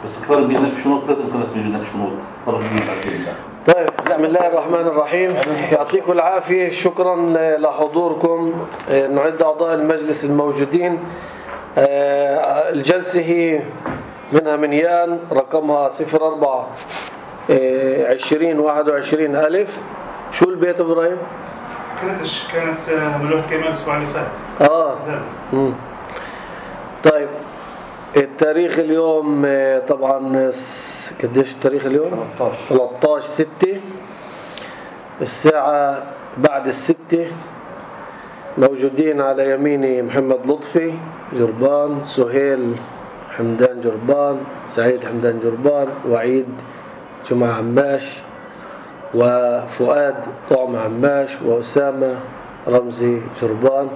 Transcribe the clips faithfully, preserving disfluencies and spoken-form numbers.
بس كفار بينك شنوط لازم كانت بيجينك شنوط فرق بين. طيب بسم الله الرحمن الرحيم. يعطيكم العافية. شكرا لحضوركم. نعد أعضاء المجلس الموجودين. الجلسة هي منها منيان رقمها صفر أربعة عشرين واحد وعشرين ألف. شو البيت إبراهيم؟ كانت كانت ملوحة كمان الأسبوع اللي فات. آه. مم. طيب التاريخ اليوم طبعا قديش التاريخ اليوم؟ ثلاثة عشر ستة. الساعة بعد الستة. موجودين على يميني محمد لطفي جربان، سهيل حمدان جربان، سعيد حمدان جربان، وعيد جمعة عماش، وفؤاد طعم عماش، وأسامة رمزي جربان،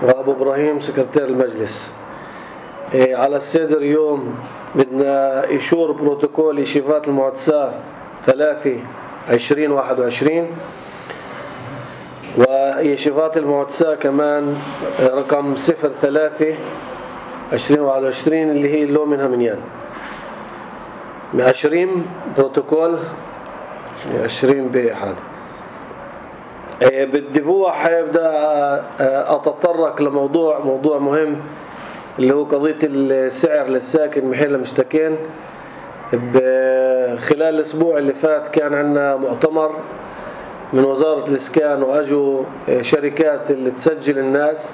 وأبو إبراهيم سكرتير المجلس. إيه على السيدر يوم بدنا إيشور بروتوكول إشيفات المعتساة ثلاثة عشرين واحد وعشرين، وإشيفات المعتساة كمان رقم صفر ثلاثة عشرين واحد وعشرين اللي هي اللو منها منيان. عشرين بروتوكول عشرين بأحد. إيه بالدفوع حيبدأ أتطرق لموضوع موضوع مهم اللي هو قضية السعر للساكن محل مشتكين. خلال الأسبوع اللي فات كان عندنا مؤتمر من وزارة الإسكان وأجوا شركات اللي تسجل الناس.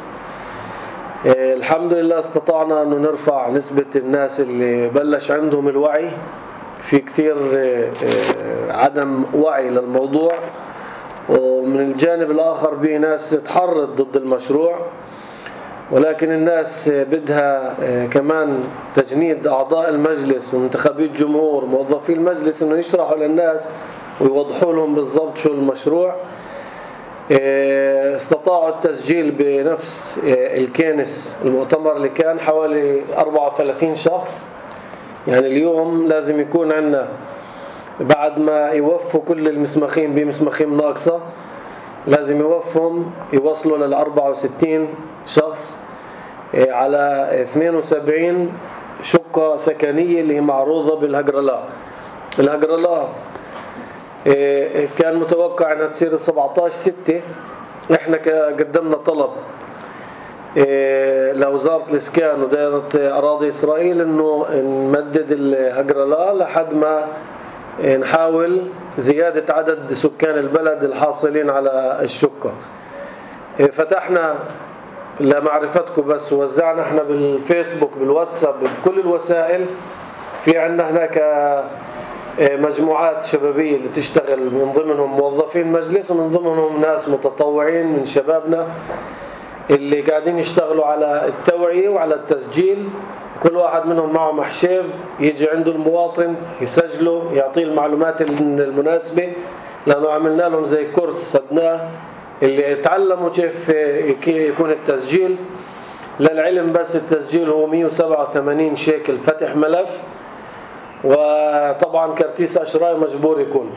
الحمد لله استطعنا أنه نرفع نسبة الناس اللي بلش عندهم الوعي. في كثير عدم وعي للموضوع، ومن الجانب الآخر بي ناس تحرض ضد المشروع، ولكن الناس بدها كمان تجنيد أعضاء المجلس ومنتخبي الجمهور موظفي المجلس إنه يشرحوا للناس ويوضحوا لهم بالضبط شو المشروع. استطاعوا التسجيل بنفس الكنس المؤتمر اللي كان حوالي أربعة وثلاثين شخص. يعني اليوم لازم يكون عندنا بعد ما يوفوا كل المسمخين بمسمخين ناقصة لازم يوفهم يوصلوا لل أربعة وستين شخص على اثنين وسبعين شقة سكنية اللي هي معروضة بالهجرلاء. الهجرلاء كان متوقع أنها تصير سبعة عشر ستة. احنا قدمنا طلب لوزارة الإسكان ودائرة أراضي إسرائيل إنه نمدد الهجرلاء لحد ما نحاول زيادة عدد سكان البلد الحاصلين على الشقة. فتحنا لمعرفتكم بس وزعنا احنا بالفيسبوك بالواتساب بكل الوسائل. في عندنا هناك مجموعات شبابية اللي تشتغل من ضمنهم موظفين مجلس ومن ضمنهم ناس متطوعين من شبابنا اللي قاعدين يشتغلوا على التوعية وعلى التسجيل. كل واحد منهم معه محشيف يجي عنده المواطن يسجله يعطيه المعلومات المناسبة، لأنه عملنا لهم زي كورس صدناه اللي يتعلموا كيف يكون التسجيل. للعلم بس التسجيل هو مية وسبعة وثمانين شيكل فتح ملف، وطبعا كرتيس أشراي مجبور يكون.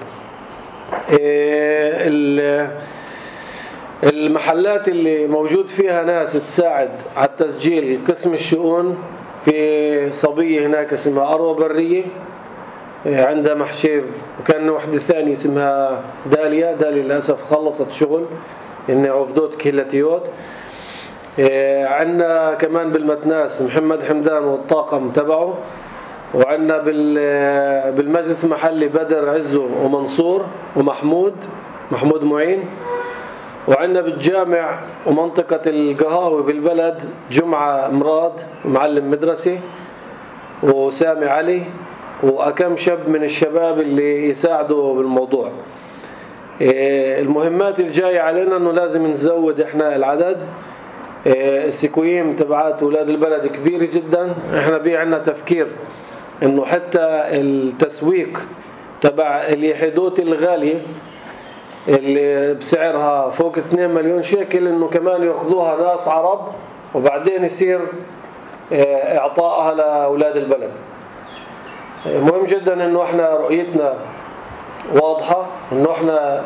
المحلات اللي موجود فيها ناس تساعد على التسجيل قسم الشؤون. في صبية هناك اسمها أروى برية عندها محشيف، وكان وحدة ثانية اسمها داليا. داليا للأسف خلصت شغل إنها عفدوت كهلتيوت. عندنا كمان بالمتناس محمد حمدان والطاقم تبعه، وعندنا بالمجلس المحلي بدر عزو ومنصور ومحمود محمود معين، وعندنا بالجامع ومنطقة القهاوي بالبلد جمعة مراد معلم مدرسة وسامي علي وأكم شاب من الشباب اللي يساعدوا بالموضوع. المهمات الجاية علينا أنه لازم نزود إحنا العدد. السكويم تبعات أولاد البلد كبيرة جدا. إحنا بي عنا تفكير أنه حتى التسويق تبع اليحيدوت الغالية اللي بسعرها فوق اثنين مليون شيكل انه كمان ياخذوها ناس عرب وبعدين يصير اعطائها لاولاد البلد. مهم جدا انه احنا رؤيتنا واضحة، انه احنا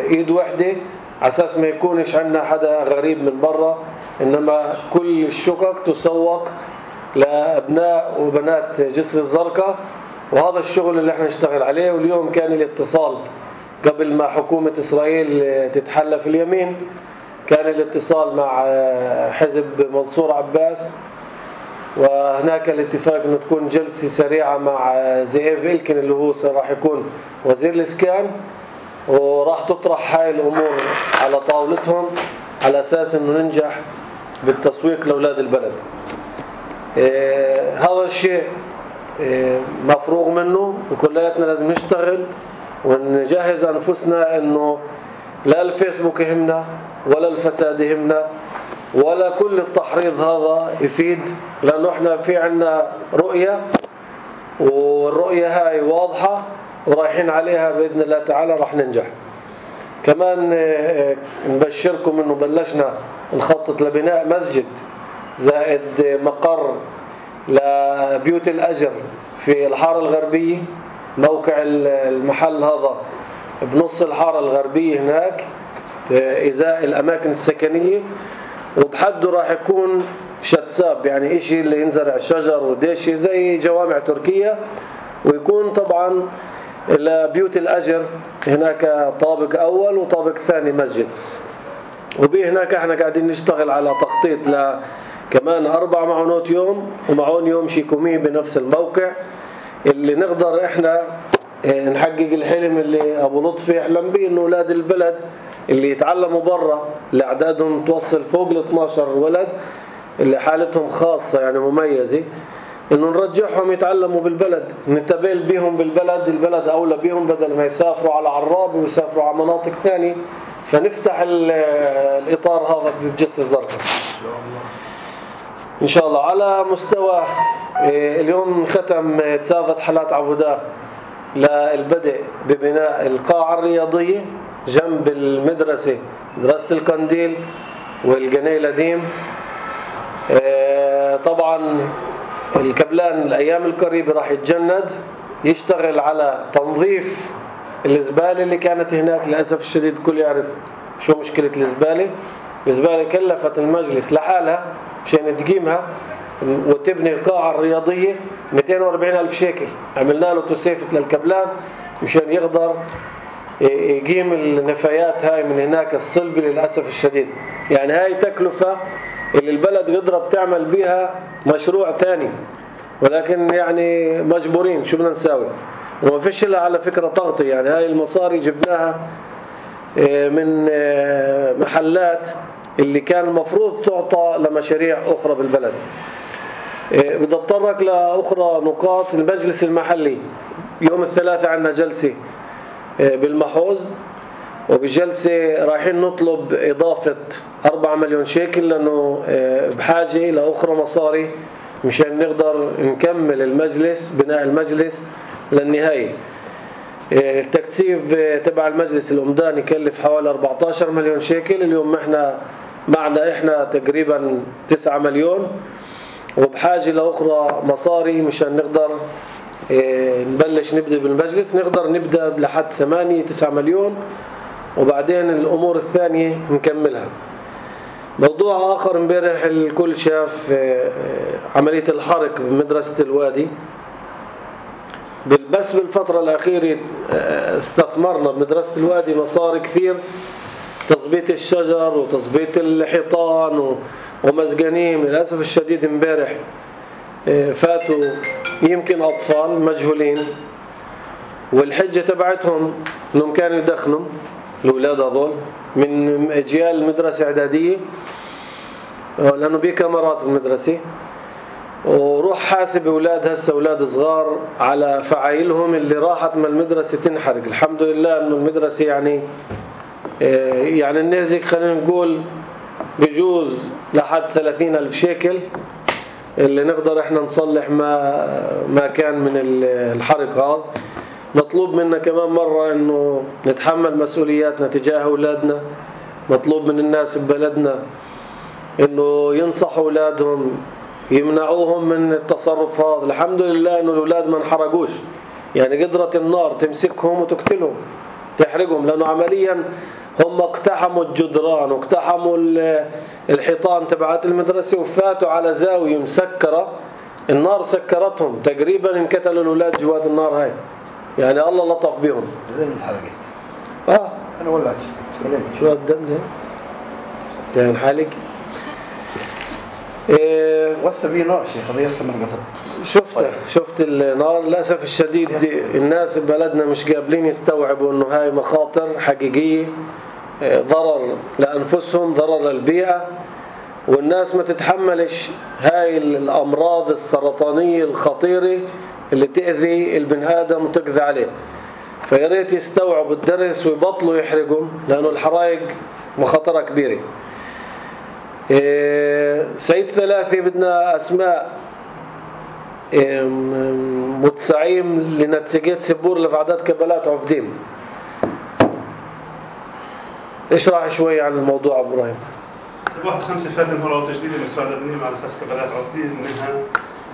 ايد واحدة على اساس ما يكونش عندنا حدا غريب من برا، انما كل الشقق تسوق لأبناء وبنات جسر الزرقاء، وهذا الشغل اللي احنا نشتغل عليه. واليوم كان الاتصال قبل ما حكومة إسرائيل تتحلى في اليمين، كان الاتصال مع حزب منصور عباس، وهناك الاتفاق أن تكون جلسة سريعة مع زئيف إلكن اللي هو راح يكون وزير الإسكان، وراح تطرح هاي الأمور على طاولتهم على أساس أنه ننجح بالتسويق لأولاد البلد. إيه هذا الشيء إيه مفروغ منه، وكلياتنا لازم نشتغل ونجهز أنفسنا أنه لا الفيسبوك يهمنا ولا الفساد يهمنا ولا كل التحريض هذا يفيد، لأنه احنا في عنا رؤية، والرؤية هاي واضحة ورايحين عليها بإذن الله تعالى راح ننجح. كمان نبشركم أنه بلشنا نخطط لبناء مسجد زائد مقر لبيوت الأجر في الحارة الغربية. موقع المحل هذا بنص الحارة الغربية هناك إزاء الأماكن السكنية، وبحده راح يكون شتساب، يعني إشي اللي ينزرع شجر وديشي زي جوامع تركيا، ويكون طبعا لبيوت الأجر هناك طابق أول وطابق ثاني مسجد. وبيه هناك احنا قاعدين نشتغل على تخطيط ل كمان أربع معونات يوم ومعون يوم شيكومي بنفس الموقع، اللي نقدر احنا نحقق الحلم اللي أبو لطفي يحلم به، إنه أولاد البلد اللي يتعلموا برا اللي أعدادهم توصل فوق ال اثني عشر ولد اللي حالتهم خاصة يعني مميزة، إنه نرجعهم يتعلموا بالبلد، نتبال بيهم بالبلد، البلد أولى بيهم بدل ما يسافروا على عراب ويسافروا على مناطق ثانية. فنفتح الإطار هذا بجسر الزرقاء إن شاء الله. على مستوى اليوم ختم تسافت حالات عبودة للبدء ببناء القاعة الرياضية جنب المدرسة، مدرسة القنديل والجني القديم. طبعا الكبلان الأيام القريبة راح يتجند يشتغل على تنظيف الزبالة اللي كانت هناك. للأسف الشديد الكل يعرف شو مشكلة الزبالة. الزبالة كلفت المجلس لحالها مشان تقيمها وتبني القاعة الرياضية مئتين وأربعين ألف شيكل. عملنا له توسيفة للكبلان مشان يقدر يقيم النفايات هاي من هناك الصلبة. للأسف الشديد يعني هاي تكلفة اللي البلد قدرت تعمل بيها مشروع ثاني، ولكن يعني مجبورين شو بدنا نساوي. وما فيش لها على فكرة تغطي، يعني هاي المصاري جبناها من محلات اللي كان المفروض تعطى لمشاريع أخرى بالبلد. بدي أتطرق لأخرى نقاط. المجلس المحلي يوم الثلاثاء عندنا جلسة بالمحوز، وبالجلسة رايحين نطلب إضافة أربعة مليون شيكل لأنه بحاجة لأخرى مصاري مشان نقدر نكمل المجلس، بناء المجلس للنهاية. التكثيف تبع المجلس الأمدان يكلف حوالي أربعة عشر مليون شيكل. اليوم احنا معنا احنا تقريبا تسعة مليون، وبحاجة لأخرى مصاري مشان نقدر نبلش نبدأ بالمجلس. نقدر نبدأ لحد ثمانية تسعة مليون، وبعدين الأمور الثانية نكملها. موضوع آخر، امبارح الكل شاف عملية الحرق بمدرسة الوادي. بس بالفترة الأخيرة استثمرنا بمدرسة الوادي مصاري كثير، تظبيط الشجر وتظبيط الحيطان ومزقانين. للأسف الشديد امبارح فاتوا يمكن أطفال مجهولين، والحجة تبعتهم انهم كانوا يدخنوا الأولاد هذول من أجيال المدرسة إعدادية، لأنه بيه كاميرات بالمدرسة. وروح حاسب أولاد هسه أولاد صغار على فعايلهم اللي راحت من المدرسة تنحرق. الحمد لله إنه المدرسة يعني يعني النازك خلينا نقول بجوز لحد ثلاثين ألف شيكل اللي نقدر إحنا نصلح ما ما كان من الحرق هذا. مطلوب منا كمان مرة إنه نتحمل مسؤولياتنا تجاه أولادنا. مطلوب من الناس ببلدنا إنه ينصحوا أولادهم، يمنعوهم من التصرف هذا. الحمد لله إنه الأولاد ما انحرقوش، يعني قدرت النار تمسكهم وتقتلهم تحرقهم، لأنه عمليا هم اقتحموا الجدران واقتحموا الحيطان تبعات المدرسة وفاتوا على زاوية مسكرة النار سكرتهم تقريبا، انقتلوا الأولاد جوات النار هاي، يعني الله لطف بهم. زي اللي انحرقت. اه أنا ولعت شو هالدم ده؟ كان حالك إيه؟ وهسه في نار شيخ، هذا هسه من قتل. شفت شفت النار. للأسف الشديد الناس ببلدنا مش قابلين يستوعبوا إنه هاي مخاطر حقيقية، ضرر لأنفسهم، ضرر للبيئة، والناس ما تتحملش هاي الأمراض السرطانية الخطيرة اللي تأذي البني آدم وتقضي عليه. فياريت يستوعبوا الدرس ويبطلوا يحرقوا، لأنه الحرائق مخاطرها كبيرة. إيه سعيد ثلاثي بدنا أسماء إيه متسعيم لنتسجيت سبور لفعدات كبلات عفدين. اشرح شوي عن الموضوع أبو إبراهيم. واحد خمسة فاتن مرة تجديد المسرات الدنيا على أساس كبلات عفدين، منها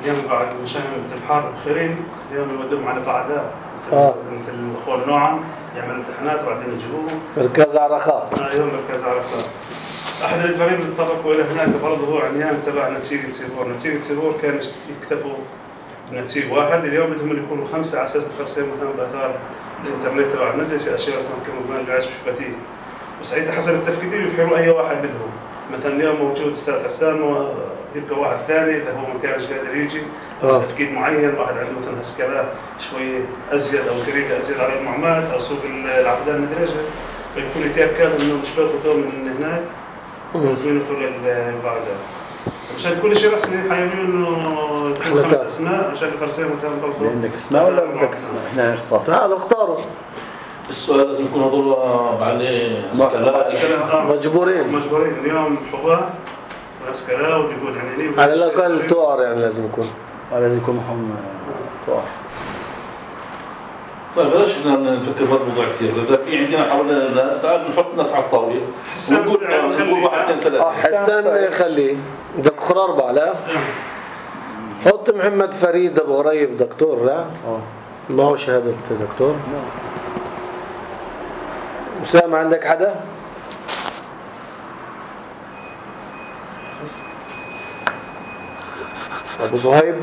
اليوم بعد مشان الحار بخيرين اليوم يودوهم على قاعدات آه. مثل الأخوة نوعا يعملوا امتحانات وبعدين يجيبوهم مركز عرقات. اليوم مركز عرقات. أحد الإداريين اللي اتطرقوا إلى هناك برضه هو عنيان تبع نتيجة سيبور. نتيجة سيبور كان يكتفوا بنتيجة واحد، اليوم بدهم يكونوا خمسة على أساس الخرسين مثلا بأثار الإنترنت تبع المجلس، أشياء تمكنوا من العيش بفتيه. وسعيد حسب التفكير يفحروا أي واحد بدهم. مثلا اليوم موجود أستاذ حسان ويبقى واحد ثاني إذا هو ما كانش قادر يجي أو تفكير معين، واحد عنده مثلا هسكلات شوي أزيد أو طريقة أزيد على المعمات أو سوق العبدان مدرجة، فيكون يتأكد إنه مش بياخذوا من هناك ولازمين يدخلوا للبعدان. بس مشان كل شيء رسمي حيعملوا إنه يكون خمس أسماء عشان الفرسين مثلا برضه. عندك اسماء ولا بدك اسماء؟ إحنا نختار. تعالوا اختاروا. السؤال لازم يكون هذول عليه اسكالات مجبورين مجبورين اليوم حباه واسكالا وجهود عنيني على الأقل توار، يعني لازم يكون لازم يكون محمد طاهر. طيب بلاش احنا نفكر بالموضوع كثير، اذا في عندنا حوالينا الناس تعال نحط ناس على الطاوله ونقول نقول واحد اثنين ثلاثه. حسان خليه بدك اخر اربعه. لا حط محمد فريد ابو غريب دكتور. لا اه ما هو شهاده دكتور. أسامة عندك حدا؟ أبو صهيب؟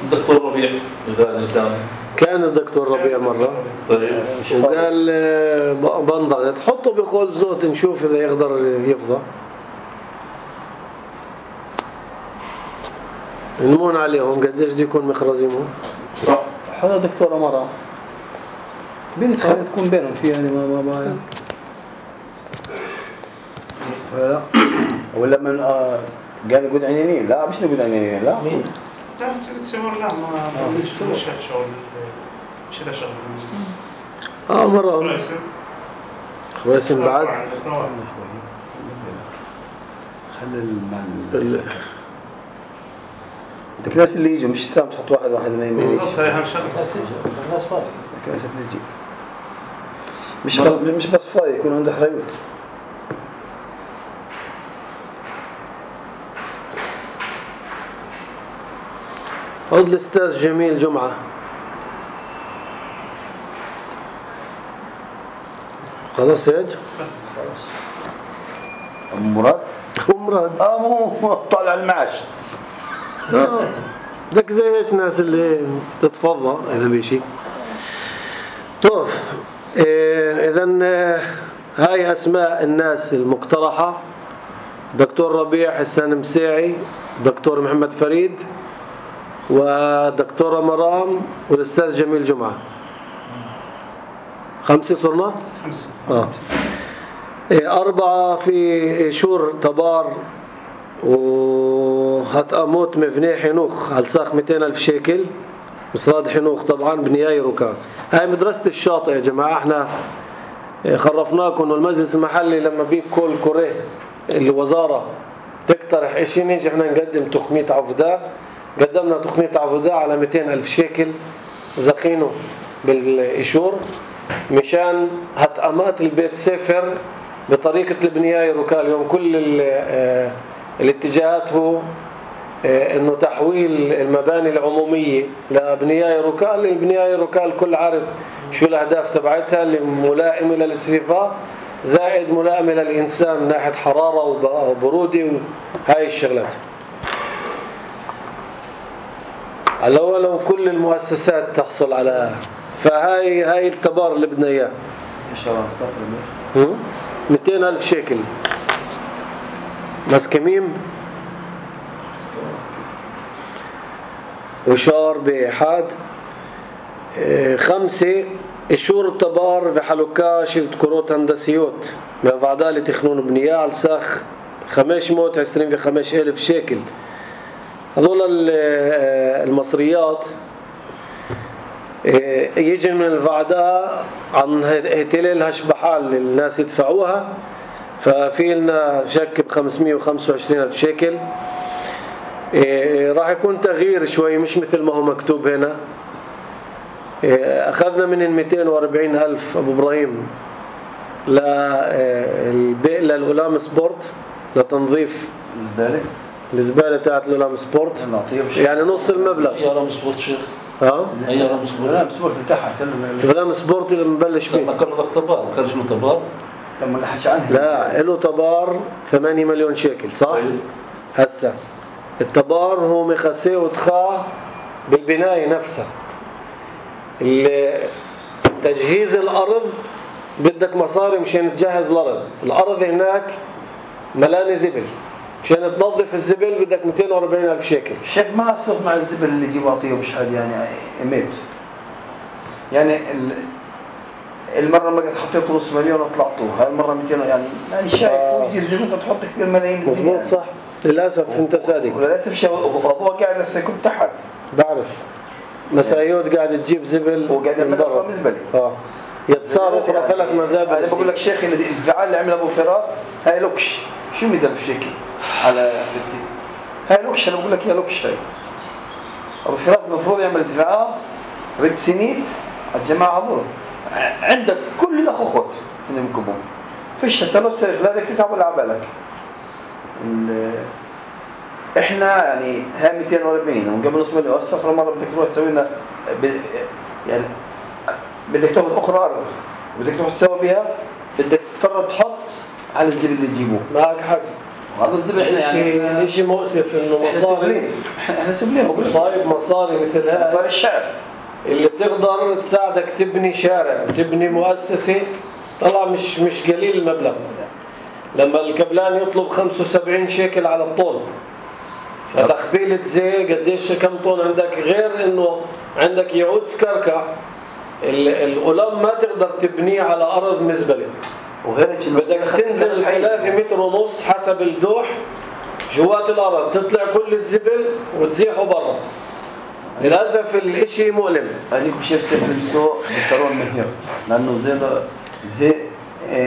الدكتور ربيع إذا كان كان الدكتور ربيع مرة طيب وقال بنضغط. حطه بقول زوت نشوف إذا يقدر يفضى. نمون عليهم قديش دي يكون مخرزينهم. صح. هذا دكتور أمارة بنت خلينا تكون بينهم في يعني ما ما ما ولا ولا من آه قال يقول عنينين. لا مش نقول عنينين. لا لا تصور لا ما مش مش شغل مش له شغل. اه مرة خواسم بعد خلي المال بدك ناس اللي يجوا مش سلام تحط واحد واحد ما يميلش. بالضبط هي أهم شغلة. الناس فاضي. ناس تجي مش مش بس فاضي يكون عنده حريوت. خذ الأستاذ جميل جمعة. خلاص يا اج خلاص. أم مراد أم مراد اه مو طالع المعاش. اه بدك زي هيك ناس اللي تتفضى إذا بيشي. طيب إيه إذن هاي أسماء الناس المقترحة: دكتور ربيع حسان مساعي، دكتور محمد فريد، ودكتورة مرام، والأستاذ جميل جمعة. خمسة صرنا؟ خمسة. آه. إيه أربعة في شور تبار وهتأموت مبني حنوخ على ساق مئتين ألف شيكل. مصراد حنوخ طبعا بنياي ركان. هاي مدرسة الشاطئ يا جماعة. احنا خرفناكم انه المجلس المحلي لما بيك كل كوريه الوزارة تقترح اشي نيجي احنا نقدم تخمية عفداء. قدمنا تخمية عفداء على مئتين ألف شيكل زقينه بالإشور مشان هتأمات البيت سفر بطريقة البنياي ركال. اليوم كل الاتجاهات هو انه تحويل المباني العمومية لبنياي ركال. البنياي ركال كل عارف شو الاهداف تبعتها اللي ملائمة للاستشفاء. زائد ملائمة للإنسان من ناحية حرارة وبرودة وهاي الشغلات. على لو كل المؤسسات تحصل على، فهاي هاي التبار اللي بدنا إياه. إيش هو الصفر؟ مئتين ألف شيكل. مسكميم وشار بحاد. خمسة إشور التبار بحلوكاش كروت هندسيوت من بعدالي تخنون بنية على ساخ خمسمائة وعشرين بخمس ألف شيكل. هذول المصريات يجي من الفعداء عن هتلال هشبحال اللي الناس يدفعوها، ففي لنا شك بخمسمائة وخمسة وعشرين ألف شيكل. راح يكون تغيير شوي مش مثل ما هو مكتوب هنا. أخذنا من المئتين وأربعين ألف أبو إبراهيم للأولام سبورت لتنظيف الزبالة الزبالة تاعت الأولام سبورت، يعني نص المبلغ. يا رام سبورت شيخ. ها؟ هي رام سبورت. الأولام سبورت تحت. الأولام سبورت اللي مبلش فيه. لما كان له طبار ما كانش له طبار. لما نحكي عنه. لا له طبار ثمانية مليون شيكل صح؟ هسه الطبار هو مخسيه وتخاه بالبناية نفسها. تجهيز الأرض بدك مصاري مشان تجهز الأرض. الأرض هناك ملانة زبل، مشان تنظف الزبل بدك مئتين وأربعين ألف شيكل. شيخ ما أسوق مع الزبل اللي يجيبوا عطيه مش حد يعني إميت يعني المرة ما قد حطيته نص مليون وطلعته، هاي المرة مئتين يعني يعني شايف هو يجيب زبل أنت تحط كثير ملايين. مظبوط صح. للأسف أنت صادق. وللأسف شيء أبوه قاعد هسه يكون تحت. بعرف مسايود قاعد تجيب زبل وقاعد يعمل لك مزبلة. اه يسار أخرى ثلاث مزابل. أنا بقول لك شيخي الدفاع اللي عمله أبو فراس هاي لوكش شو مئة ألف شيكل على ستين. هاي لوكش أنا بقول لك يا لوكش. هاي أبو فراس المفروض يعمل دفاع رد سنيت الجماعة هذول عندك كل الأخوات إنهم يكبون فيش حتى لو سير لا بدك تتعب ولا عبالك. إحنا يعني هاي مئتين وأربعين وقبل نص مليون الصفرة مرة بدك تروح تسوي لنا ب... يعني بدك تاخذ أخرى أرض بدك تروح تسوي بها بدك تضطر تحط على الزبل اللي تجيبوه. معك حق. هذا الزبل احنا يعني شيء مؤسف انه مصاري احنا سبلين بقول صايب مصاري مثل هاي مصاري الشعب اللي تقدر تساعدك تبني شارع تبني مؤسسة طلع مش مش قليل المبلغ. لما الكبلان يطلب خمسة وسبعين شيكل على الطن فتخبيلة زي قديش كم طن عندك غير انه عندك يعود سكركع الأولام ما تقدر تبنيه على أرض مزبلة وغير بدك تنزل ثلاثة متر ونص حسب الدوح جوات الأرض تطلع كل الزبل وتزيحه برا. للأسف الاشي مؤلم. أنا خشيت سيف المسوق بالترون مهير لأنه زي زي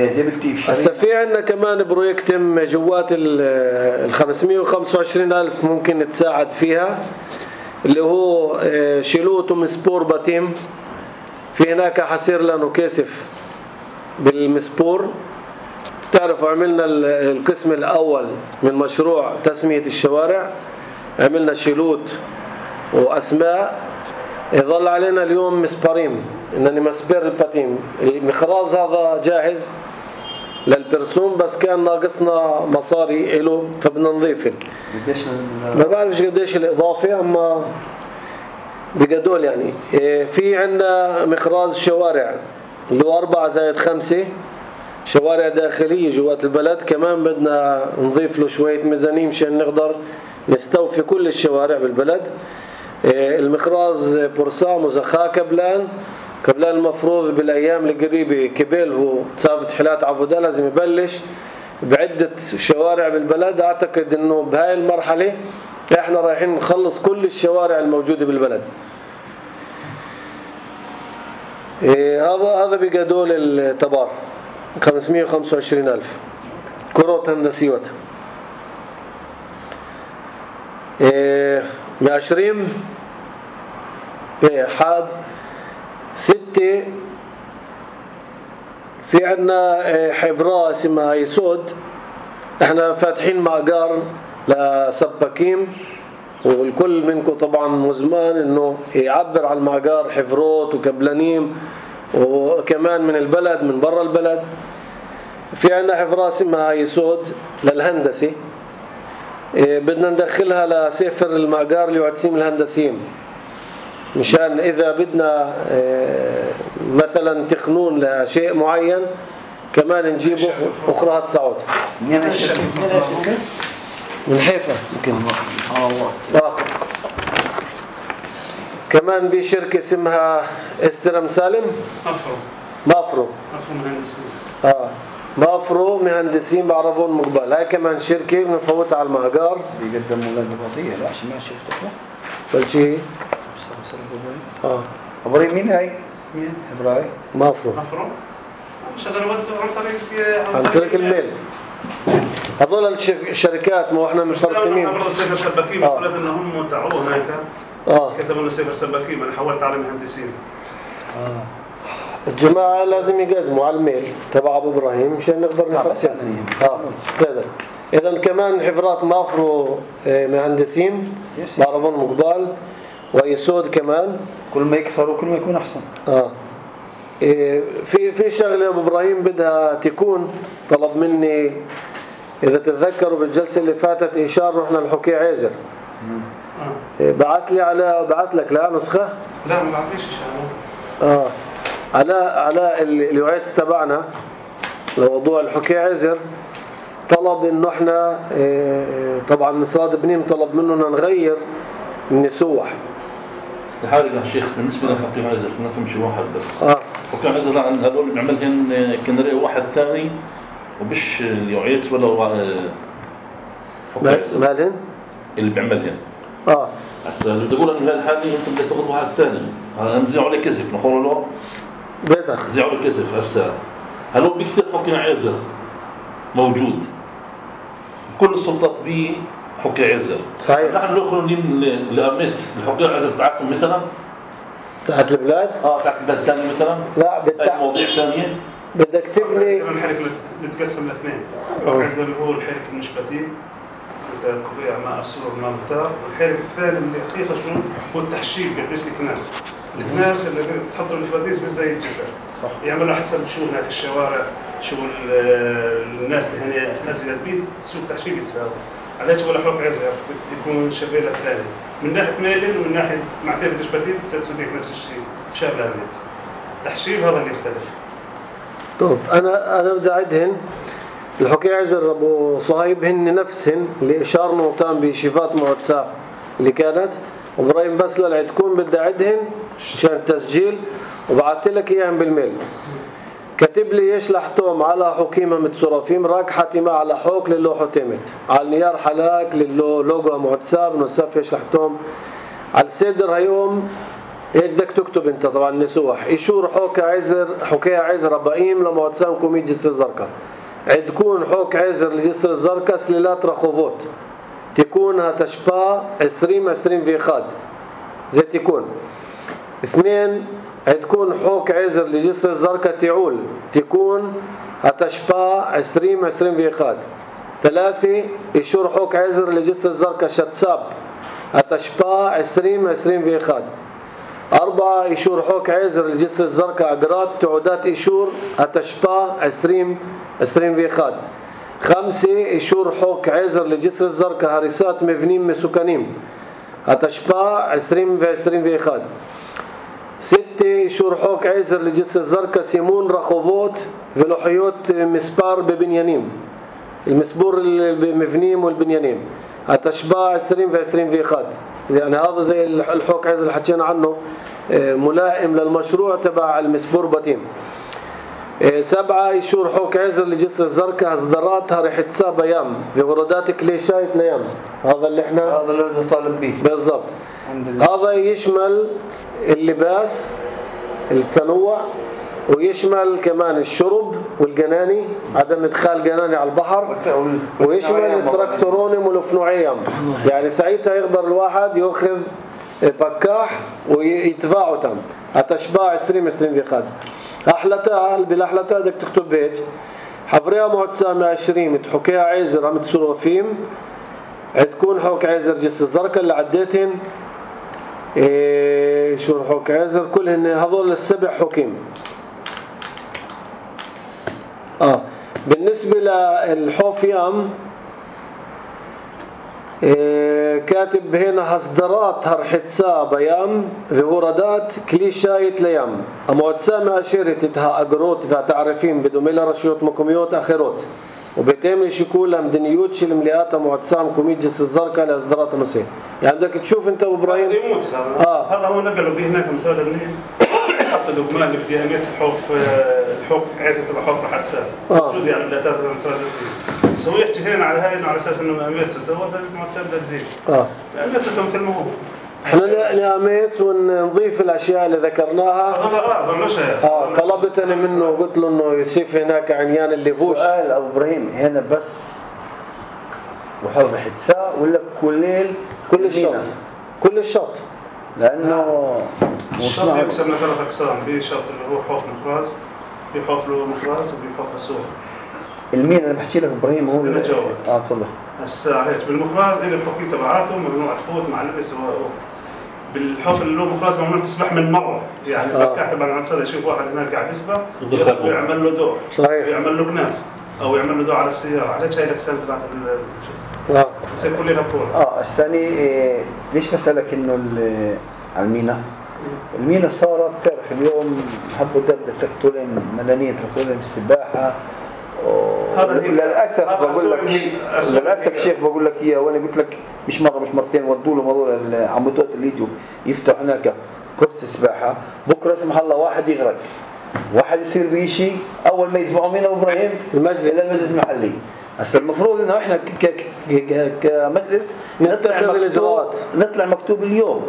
زي بالتيف شريك. هسا في عندنا كمان بروجكت جوات ال خمسمائة وخمسة وعشرين ألف ممكن تساعد فيها اللي هو شيلوت ومسبور باتيم. في هناك حصير لنا كاسف بالمسبور. تعرفوا عملنا القسم الأول من مشروع تسمية الشوارع عملنا شيلوت وأسماء. يظل علينا اليوم مسبرين إنني مسبر الباتيم. المخراز هذا جاهز للبرسوم بس كان ناقصنا مصاري له فبدنا نضيفه. قديش ما بعرفش قديش الإضافة أما بقدول يعني. في عندنا مخراز شوارع اللي هو أربعة زائد خمسة شوارع داخلية جوات البلد كمان بدنا نضيف له شوية ميزانية مشان نقدر نستوفي كل الشوارع بالبلد. المخراز بورسام وزخا كبلان كبلان المفروض بالأيام القريبة كبيل هو تصافت حلات عبودة لازم يبلش بعدة شوارع بالبلد. أعتقد أنه بهاي المرحلة إحنا رايحين نخلص كل الشوارع الموجودة بالبلد. هذا هذا بقدول التبار خمسمائة وخمسة وعشرين ألف كروت هندسيوت. معشرين حاد ستة. في عندنا حبرة اسمها يسود احنا فاتحين مأجار لسباكين والكل منكم طبعا مزمان انه يعبر عن المأجار حفروت وكبلانيم وكمان من البلد من برا البلد. في عندنا حفرة اسمها يسود للهندسي، إيه بدنا ندخلها لسفر المأجار ليعتسيم الهندسيين، مشان إذا بدنا إيه مثلا تقنون لشيء معين كمان نجيبه أخرى تساعد. من حيفا يمكن. آه. كمان في شركة اسمها استرم سالم. مافرو. مافرو. مافرو مهندسين. آه. مافرو مهندسين بعربون مقبل، هاي كمان شركة بنفوتها على المهجر. بيقدموا ولاد الوظيفة لا عشان ما شفتها. فالشيء. آه. أبراهيم مين هاي؟ مين؟ إبراهيم. مافرو. مافرو. شغال عن طريق عن طريق الميل. هذول الشركات ما احنا مفرسمين. أنا سيفر سباكين قلت إنهم تعوا هناك. آه. كتبوا لنا سيفر سباكين، أنا حولت على مهندسين. آه. الجماعة لازم يقدموا على الميل تبع أبو إبراهيم مشان نقدر نفرسم. آه. كذا. إذا كمان حفرات مافرو مهندسين بعربون مقبال ويسود كمان. كل ما يكثروا كل ما يكون أحسن. آه. في في شغله ابو ابراهيم بدها تكون طلب مني اذا تتذكروا بالجلسه اللي فاتت اشاره رحنا لحكي عازر. اه بعث لي على بعث لك لا نسخه. لا ما بعطيش اشاره. اه على على الوعيت تبعنا لموضوع الحكي عازر طلب انه احنا طبعا مصاد بنيم طلب مننا نغير النسوح. استحالة يا شيخ بالنسبة لحكي عازر كنا نمشي واحد بس. اه حكي عازر عن هذول بنعملهن كنري واحد ثاني وبش اليوعيت ولا حكي عازر. مالهن؟ اللي بيعملهن. اه هسا بدي اقول ان هالحالة انت بدك تاخذ واحد ثاني، انا مزيعوا لي كسف نقول له بيتك مزيعوا لي كسف. هسا هل هو بكثير حكي عازر موجود كل السلطات بيه حكي عازر صحيح. نحن ندخل لأمنيت الحكي عازر تاعتهم مثلا تحت البلاد؟ اه تحت البلاد ثاني مثلا؟ لا بالتع... مواضيع ثانية بدك تبني الحركة نتقسم لاثنين. العازر هو الحركة المشبتين قطيع ماء السور ماء مطار، والحركة الثاني اللي حقيقة شنو هو التحشيد قديش الكناس. الكناس اللي تحضر الفواتيس بس زي الجسر صح. يعملوا حسب شو هناك الشوارع شو الناس اللي هنا نازلة البيت شو التحشيد يتساوي. علاش ولا حروق عزة يكون شبيلة الثاني من ناحية ميلين ومن ناحية معتبر الجبتين تتصديق نفس الشيء شابه الناس. التحشيد هذا اللي يختلف. طب أنا أنا بدي أعدهن الحكي عزر أبو صهيب هن نفسهن اللي إشارنا وتام بشفات مواتساب اللي كانت وإبراهيم بس للعد تكون بدي أعدهن عشان التسجيل وبعثت لك إياهم بالميل. كتب لي يشلحتهم على حكيمة متصرفين راك حاتمة على حوك للو حتمت على النيار حلاك للو لوجو مواتساب نصف يشلحتهم على السيدر هيوم ايش بدك تكتب انت طبعا نسوح يشور حوك عزر حكي عزر ربائيم لمواتساب كوميد جسر الزرقاء عندكون حوك عزر لجسر الزرقاء سليلات رخوبوت تكون هتشبا عشرين عشرين في خاد زي تكون اثنين عندكون حوك عزر لجسر الزرقاء تعول تكون هتشبا عشرين عشرين في خاد ثلاثة يشور حوك عزر لجسر الزرقاء شتساب هتشبا عشرين عشرين في خاد أربعة يشور حوك عزر لجسر الزرقاء أقراط تعودات يشور هتشبا عشرين عشرين في خاد خمسة يشور حوك عزر لجسر الزرقاء هرسات مبنين مسكنين هتشبا عشرين في عشرين في خاد ستة يشور حوك عزر لجسر الزرقاء سيمون رخوبوت فلوحيوت مسبار ببنيانين المسبور المبنيم والبنيانين هتشبا عشرين في عشرين في خاد يعني هذا زي الحوك عزر اللي حكينا عنه ملائم للمشروع تبع المسبور باتين. سبعة يشور حوك عزر لجسر الزرقاء هزدراتها رح تساب ايام في وردات كليشايت ليام هذا اللي احنا هذا اللي طالب به بالضبط. هذا يشمل اللباس التنوع ويشمل كمان الشرب والجناني عدم ادخال جناني على البحر ويشمل التراكتورونيم والأفنوعيم يعني ساعتها يقدر الواحد يأخذ بكاح ويتباعه تام هتشباع عشرين عشرين في خاد أحلتها بالأحلتها بدك تكتب بيت حفريها معتسامة عشرين متحكيها عزر هم تصرفين عتكون حوك عزر جس الزرقاء اللي عديتهن إيه شو حوك عزر كلهن هذول السبع حكيم. اه بالنسبة للحوفيام كاتب هنا هصدرات هرحتسا بيام وهورادات كليشايت ليام أمواتسامة أشيرتها أقروت فتعرفين بدوميلا رشيوت مكوميوت أخيروت وبتعمل شكولها مدنيوت شل مليات مواتسام كوميجس الزرقاء لأصدرات نسي. يعني بدك تشوف أنت وإبراهيم يموت هذا آه. هذا هو نقلوا به هناك مسألة النيل حط اللقمان اللي فيها ميت الحوف الحوف عايزة تبقى حوف راح تسال موجود يعني لا تاخذ مسألة النيل سوي يحكي على هاي على أساس إنه ميت ستة هو مواتسام ده تزيد آه ميت ستة مثل ما هو. احنا ناميت ونضيف الاشياء اللي ذكرناها. اه طلبتني منه وقلت له انه يصيف هناك عنيان اللي بوش. سؤال ابو ابراهيم هنا بس وحوف حتساء ولا كليل كل الشط كل الشط لانه الشط يقسم لثلاث اقسام في شط اللي هو حوف مخراز في حوف له مخراز وفي حوف اسود. المين انا بحكي لك ابراهيم هو اللي جاوب اه تفضل. هسه هيك بالمخراز اللي الحكم تبعاته ممنوع تفوت مع اللبس بالحوف اللي له مخراز ممنوع تسبح من مره يعني آه. كاتب على نفسه يشوف واحد هناك قاعد يسبح ويعمل له دور صحيح ويعمل له كناس او يعمل له دور على السياره على شيء الاقسام تبعت اه يصير كلنا فوق. اه الثاني إيه ليش بسالك انه على المينا المينا صارت تعرف اليوم حبوا دبة تقتلن ملانية تقتلن السباحة للأسف بقول لك للأسف شيخ بقول لك إياه وأنا قلت لك مش مرة مش مرتين ودوا له موضوع العمودات اللي يجوا يفتحوا هناك كرسي سباحة بكرة سمح الله واحد يغرق واحد يصير بيشي أول ما يدفعوا مين أبو إبراهيم المجلس إلى المجلس المحلي. هسه المفروض إنه إحنا كمجلس نطلع مكتوب نطلع مكتوب اليوم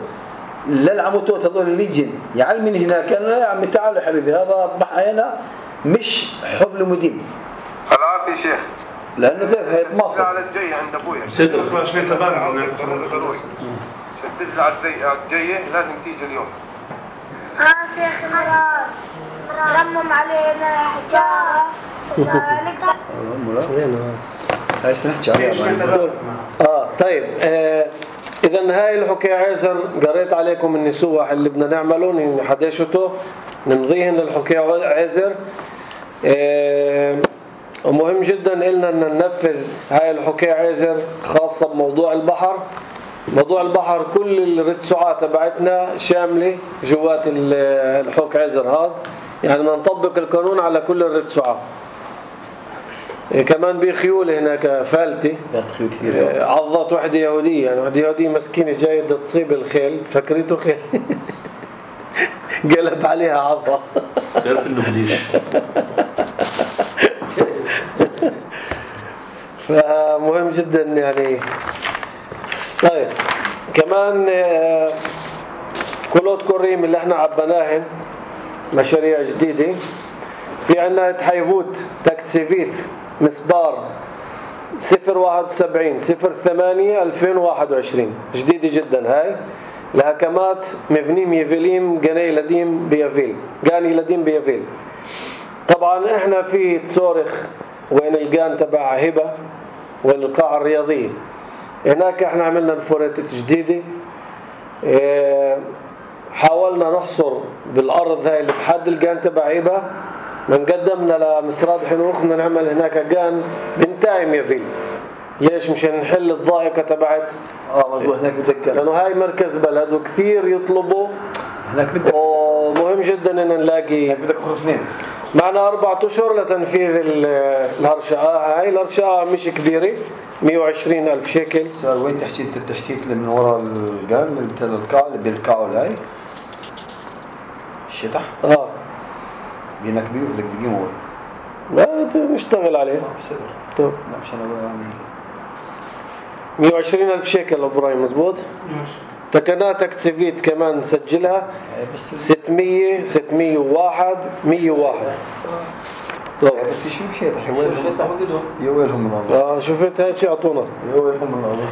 للعمودات هذول اللي يجين يعلمين هناك أنا يا عمي تعالوا حبيبي هذا بحينا مش حفل مدين خلاص يا شيخ لأنه كيف هيتماصر على الجاي عند أبويا صدق خلاص شوي تبارع شدد على الجاي لازم تيجي اليوم. ها شيخ مراد رمم علينا حجارة هاي سنحكي عليها اه طيب آه إذا هاي الحكي عازر قريت عليكم النسوح اللي بدنا نعمله نحدشته نمضيهن للحكي عازر اه ومهم جدا إلنا أن ننفذ هاي الحكي عازر خاصة بموضوع البحر. موضوع البحر كل الرتسوعات تبعتنا شاملة جوات الحكي عازر هذا يعني نطبق القانون على كل الرتسوعات. كمان بخيول هناك فالتي عضت وحدة يهودية يعني وحدة يهودية مسكينة جاية تصيب الخيل فكرته خيل قلب عليها عضة تعرف انه بديش فمهم جدا يعني. طيب كمان كلوت كوريم اللي احنا عبناهن مشاريع جديدة في عنا تحيفوت تكتسيفيت مسبار صفر واحد وسبعين صفر ثمانية ألفين وواحد وعشرين جديدة جدا هاي لهكمات مبنيم يفيليم جاني لديم بيافيل جاني لديم بيافيل. طبعا احنا في تصورخ وين الجان تبع هبة وين القاعة الرياضية هناك احنا عملنا الفوريتة جديدة اه حاولنا نحصر بالأرض هاي اللي بحد الجان تبع هبة من قدمنا لمسراد حنوخ بدنا نعمل هناك جان بنتايم يفيل. ليش مشان نحل الضائقة تبعت اه مظبوط هناك بتذكر لأنه هاي مركز بلد وكثير يطلبوا هناك بدك ومهم جدا ان نلاقي هناك بدك خرفنين معنا أربعة أشهر لتنفيذ الهرشقة. هاي الهرشقة مش كبيرة مية وعشرين ألف شيكل. سؤال وين تحكي التشتيت اللي من وراء الجان اللي بتل القاع اللي بيلقعوا هاي الشطح اه بينك بيه بدك تقيمه وين لا نشتغل عليه بصدر طب لا مش انا يعني مية وعشرين ألف شيكل ابراهيم مزبوط تكناتك تسفيت كمان نسجلها بس ستمية ستمية وواحد مية وواحد طب بس يشوف شيء حيوانهم يا ويلهم من الله اه شفت هيك شيء اعطونا يا ويلهم من الله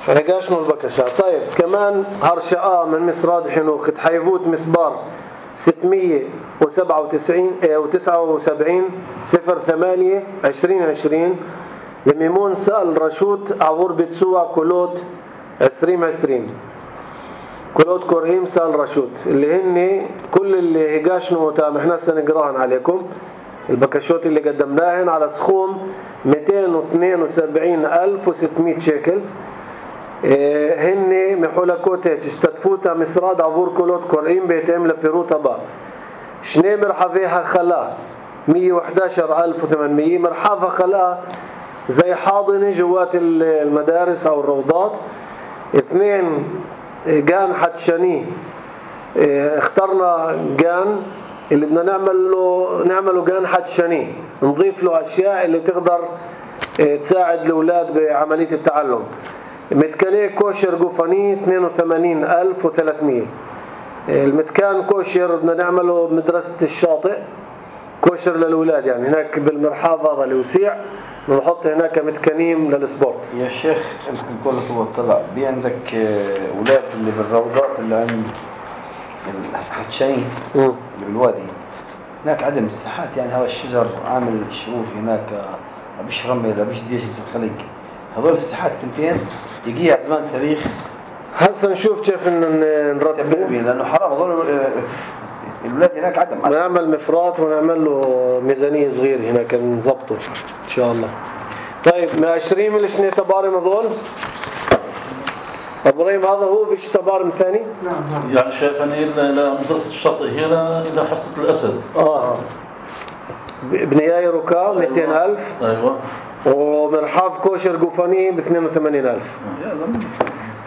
فنقاشنا البكشة. طيب كمان هرشقة من مسراد حنوخ تحيفوت مسبار ستمية وسبعة وتسعين وتسعة وسبعين صفر ثمانية عشرين عشرين لميمون سأل رشوت عبور بتسوع كولوت عشرين عشرين كولوت كورهيم سأل رشوت اللي هن كل اللي هقاشنوا تام احنا سنقراهن عليكم البكشوت اللي قدمناهن على سخوم مئتين واثنين وسبعين ألف وستمئة شيكل. هن محولا كوتيج استدفوتا مسراد عبور كولوت كورئين بيتم لبيروتا با شني مرحفيها خلا مئة وأحد عشر ألف وثمانمئة مرحفة خلا زي حاضنة جوات المدارس أو الروضات. اثنين جان حتشاني اخترنا جان اللي بدنا نعمل له نعمله جان حتشاني نضيف له أشياء اللي تقدر تساعد الأولاد بعملية التعلم. متكانية كوشر جوفاني اثنين وثمانين ألف وثلاثمئة. المتكان كوشر بدنا نعمله بمدرسة الشاطئ كوشر للأولاد يعني هناك بالمرحاض هذا الوسيع ونحط هناك متكانيم للسبورت. يا شيخ يمكن نقول لك هو طلع بي عندك أولاد اللي بالروضات اللي عند الحتشين اللي بالوادي هناك عدم الساحات يعني هذا الشجر عامل شروف هناك بيش رمل بيش ديش الخلق هذول الساحات ثنتين يجيها زمان صريخ. هسه نشوف كيف نرتبه لأنه حرام هذول الولاد هناك عدم نعمل مفرات ونعمل له ميزانية صغير هناك نظبطه إن شاء الله. طيب عشرين من شنو تبارم هذول إبراهيم هذا هو بيش تبارم ثاني؟ نعم يعني شايفني إلى مدرسة الشاطئ هنا إلى حصة الأسد. آه بنياي ركاب مئتين ألف. أيوة. ومرحاف كوشر جوفاني ب اثنين وثمانين ألف.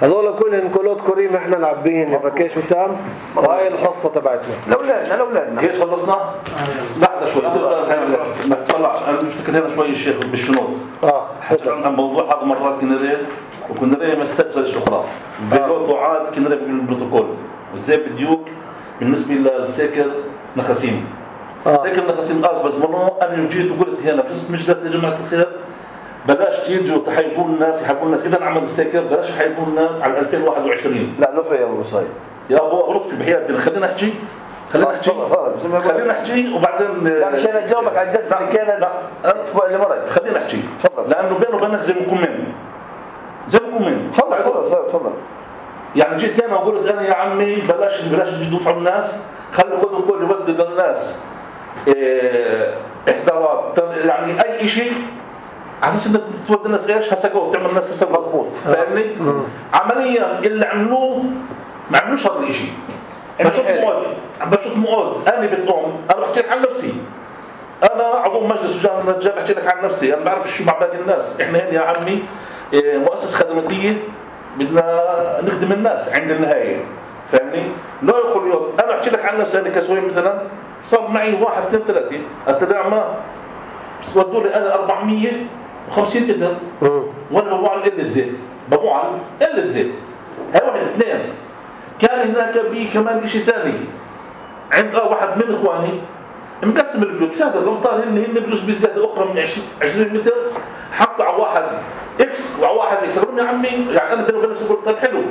هذول كلهم كولوت كريم احنا نعبيهن فكيش وتام وهاي الحصة تبعتنا لأولادنا لأولادنا. كيف خلصنا؟ لحظة شوي نطلع أنا بفتكر هنا شوي الشيخ بالشنوط. آه. عن موضوع هذا مرات كنا ريه وكنا ريه مسجل الشخرة. بيقول دعاء كنا ريه بالبروتوكول وزي بديوك بالنسبة للساكر نخاسيم. آه. ساكر نخاسيم قاس بس منو أنا جيت وقلت هنا بس مجلس يا جماعة الخير بلاش تيجوا تحيبون الناس يحبون الناس إذا عمل الساكر بلاش يحيبون الناس على ألفين وواحد وعشرين. لا نحو يا أبو صايد يا أبو لطفي بحياتنا خلينا نحكي خلينا نحكي خلينا نحكي وبعدين لا مش أنا أجاوبك على الجلسة اللي كانت الأسبوع اللي مرق. خلينا نحكي تفضل لأنه بينه وبينك زي مكمين زي مكمين. تفضل تفضل تفضل. يعني جيت أنا وقلت أنا يا عمي بلاش بلاش يدفعوا على الناس خلوا كل كل يودي للناس إحضارات يعني أي شيء على اساس انك تودي الناس ايش هسقوا تعمل الناس حساب مضبوط فاهمني. عمليا اللي عملوه ما عملوش هذا الشيء. بشوف مواد بشوف مواد انا بتقوم انا بحكي لك عن نفسي انا عضو مجلس وجاه النجاة بحكي لك عن نفسي انا بعرف شو مع باقي الناس. احنا هنا يا عمي مؤسسه خدماتيه بدنا نخدم الناس عند النهايه فاهمني. لا يقول يوم انا بحكي لك عن نفسي انا كسوي مثلا صار معي واحد اثنين ثلاثه التدعم ما ودوا لي انا أربعمئة وخمسين متر وانا ببوع قلة زيت ببوع قلة زيت هاي واحد اثنين. كان هناك بي كمان شيء ثاني عند واحد من اخواني مقسم البلوك سادة الامطار هن هن بجوز بزيادة اخرى من عشرين متر حطوا على واحد اكس وعلى واحد اكس. قالوا يا عمي يعني انا بيني وبين قلت طيب حلو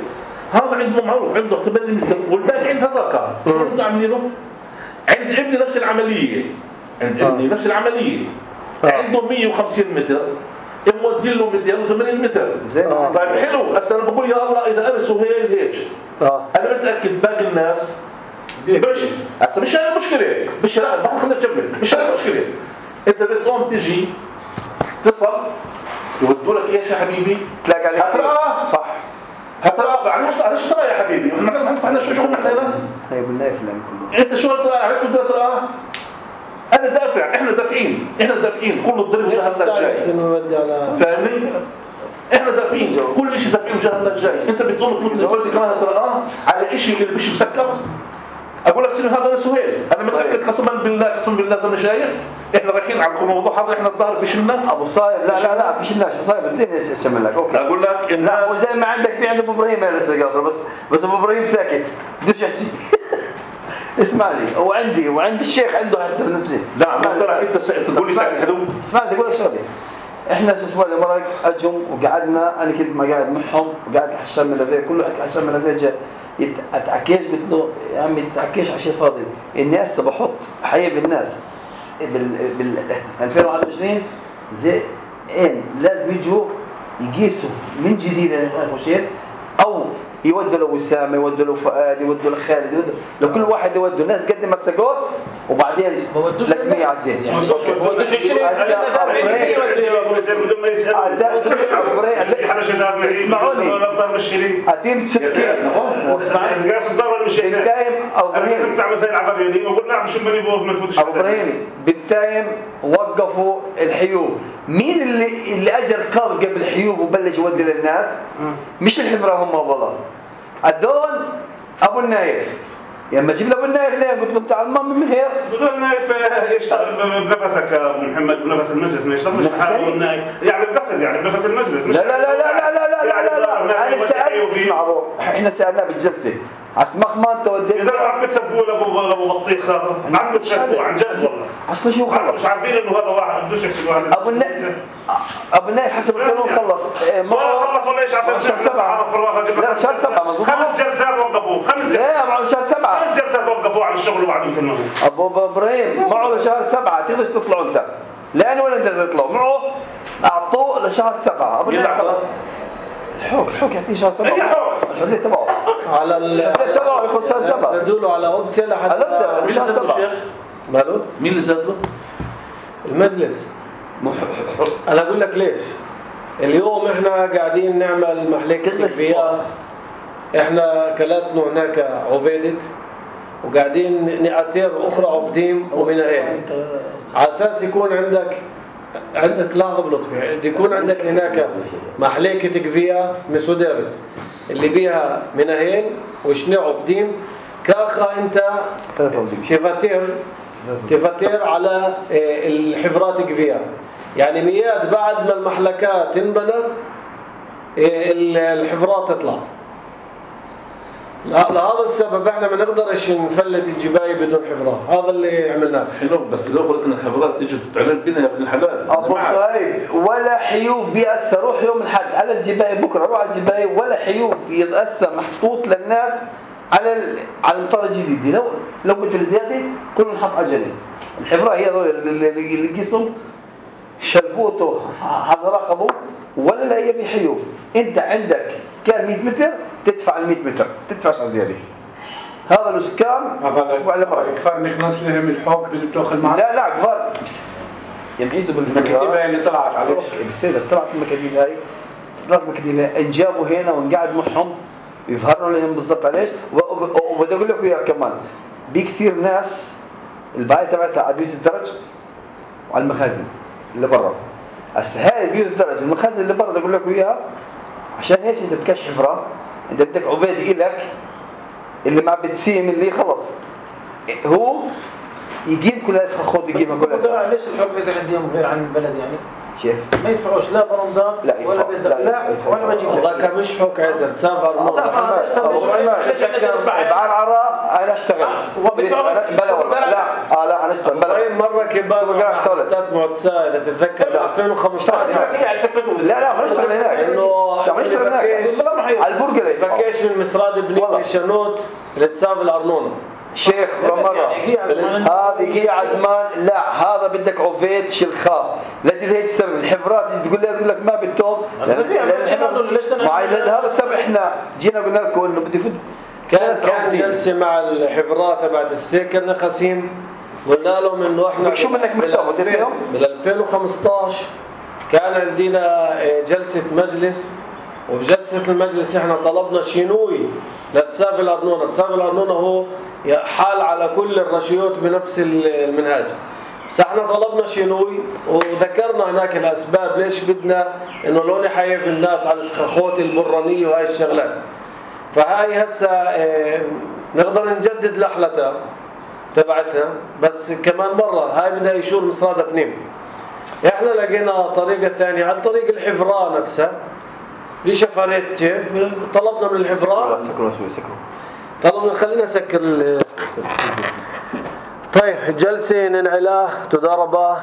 هذا عنده معروف عنده ثمانين متر والباقي عند هذاك شو عاملينه عند ابني نفس العملية عند ابني نفس العملية عنده مئة وخمسين متر يمودي له مئتين وثمانين متر. آه. طيب حلو هسه انا بقول يا الله اذا انا سهيل هيك آه. انا متاكد باقي الناس بش هسه مش هاي المشكله مش لا ما خلينا نكمل مش هاي المشكله. انت بتقوم تجي تصل يودوا لك ايش يا حبيبي تلاقي عليك هتراه صح هتراه علاش علاش ترى يا حبيبي احنا ما احنا شو شغلنا احنا هنا هاي بالله فلان كله انت شو ترى عرفت بدك تراه أنا دافع إحنا دافعين إحنا دافعين كل الضرب جهة الجاي فاهمني إحنا دافعين كل شيء دافعين جهة الجاي. أنت بتقوم مثل قلت كمان ترى على شيء اللي بيش مسكر أقول لك شنو هذا سهيل أنا متأكد قسما بالله قسما بالله زي ما شايف إحنا رايحين على الموضوع هذا إحنا الظاهر في شلنا أبو صايب لا لا لا في شلنا صايب زين أشمل لك أوكي أقول لك إن لا وزي ما عندك في عند أبو إبراهيم هذا السجارة بس بس أبو إبراهيم ساكت بديش أحكي اسمع لي هو عندي وعند الشيخ عنده حتى بالنسبة لا ما ترى أنت تقول لي ساعة حلو اسمع لي أقول لك شغلة إحنا الأسبوع اللي مرق أجهم وقعدنا أنا كنت ما قاعد معهم وقاعد الحشام الملذية كله قاعد الحشام الملذية جاء يتعكيش قلت له يا عمي يتعكيش على شيء فاضي إني هسه بحط حيب الناس بال بال ألفين وواحد وعشرين زي إن لازم يجوا يقيسوا من جديد الخشير او يودوا له وسام، يودوا له فؤاد، يودوا له خالد، يودوا لكل واحد يودوا الناس تقدم السجود وبعدين لك مية على الزين. اسمعوني اتيم تسكين بالتايم او ابراهيم ابو ابراهيم بالتايم وقفوا الحيوب. مين اللي اللي اجر قام قبل الحيوب وبلش يودي للناس؟ مش الحمراء هم والله هذول ابو النايف. لما جيب ابو النايف ليه قلت له تعال ما من مهير ابو النايف يشتغل بنفسك ابو محمد بنفس المجلس ما يشتغلش ابو النايف يعني بقصد يعني بنفس المجلس. لا لا لا لا لا لا لا لا لا انا سالت اسمع احنا سالناه بالجلسه عسمخ ما انت وديت اذا ما عم بتسبوا لابو ابو بطيخ هذا ما عم بتسبوا عن جد والله اصلا شو خلص مش عارفين انه هذا واحد بدوش يحكي واحد ابو النايف ابو النايف حسب القانون خلص ما خلص ولا ايش عشان شهر سبعة لا شهر سبعة مضبوط خمس جلسات وقفوه خمس جلسات لا معه شهر سبعة خمس جلسات وقفوه على الشغل وبعدين كلمه ابو ابراهيم معه لشهر سبعة تقدرش تطلعوا انت لانه ولا انت تطلعوا معه اعطوه لشهر سبعة ابو النايف خلص الحوك الحوك يعطيه شهر سبعة الحزيه تبعه على الحزيه تبعه ياخذ شهر سبعة زادوا له على اوبسيا لحد على شهر سبعة ماله مين اللي زاد له؟ المجلس. انا اقول لك ليش اليوم احنا قاعدين نعمل محلية تكفيات احنا كلاتنا هناك عبيدة وقاعدين نقاتير اخرى عبدين ومناهين على اساس يكون عندك عندك لا غبلط فيه يكون عندك هناك محلية تكفية مسودرت اللي بيها مناهين وشنو عبدين كاخا انت تفتير تفتير على الحفرات تكفية يعني مياد بعد ما المحلكات تنبنى الحفرات تطلع. لهذا السبب احنا ما نقدرش نفلت الجباية بدون حفرات. هذا اللي عملناه. حلو بس لو قلت ان الحفرات تيجي تعلن بنا يا ابن الحلال ابو صهيب ولا حيوف بيأثر. روح يوم الحد على الجباية بكره روح على الجباية ولا حيوف يتأثر محطوط للناس على على المطار الجديد. لو لو قلت الزياده كل نحط اجله الحفرة هي اللي اللي قسم شلفوته هذا رقبه ولا يبي حيوف. انت عندك كان مية متر تدفع ال مية متر تدفعش على زياده. هذا الاسكان اسبوع على مره كفار نخلص لهم الحب اللي بتاخذ معك. لا لا كفار يمعيدوا بالمكاتيب اللي طلعت عليك بس هذا طلعت المكاتيب هاي طلعت المكاتيب انجابوا هنا ونقعد معهم يظهروا لهم بالضبط عليش. وبدي اقول لك وياك كمان بكثير ناس الباية تبعتها على بيوت الدرج وعلى المخازن اللي برا. هسه هاي بيوت الدرج المخازن اللي برا بدي اقول لك وياها عشان هيك انت بتكش حفرة انت بدك عبيد إلك اللي ما بتسيم اللي خلص هو يجيب كل هاي خد يجيبها كلها. ليش الحكم اذا عندهم غير عن البلد يعني كيف ما يدفعوش لا برمضان ولا بيدفع لا ولا بجيب والله كان مش حك عزر تسافر مره بعرعره انا اشتغل بلا والله لا لا انا اشتغل بلا مره كبار حتات معتسه اذا تتذكر ألفين وخمسطعش لا لا ما اشتغل هناك انه ما اشتغل هناك على البرجله بكيش من مسراد بنين الشنوت اللي تساوي الارنونه شيخ مرة هذه جي عزمان لا هذا بدك عفيت شلخاف لجل هيك السبب الحفرات تيجي تقول لي تقول لك ما بدهم معي هذا السبب احنا جينا قلنا لكم انه بدي فوت. كان كان جلسه مع الحفرات تبعت السكر نخاسين قلنا لهم انه احنا شو بدك مكتوب بال ألفين وخمسطعش كان عندنا جلسه مجلس وبجلسه المجلس احنا طلبنا شنوي لتساوي الارنونه. تساوي الارنونه هو حال على كل الرشيوت بنفس المنهاج. بس احنا طلبنا شنوي وذكرنا هناك الاسباب ليش بدنا انه لو نحيف الناس على السخاخوت البرانيه وهاي الشغلات. فهاي هسه اه نقدر نجدد لحلتها تبعتها بس كمان مره هاي بدها يشور مصرادة بنيم. احنا لقينا طريقه ثانيه عن طريق الحفرة نفسها بشفرات كيف طلبنا من الحفرة سكروا شوي سكروا طلبنا خلينا نسكر طيب جلسه ننعلاه تضاربه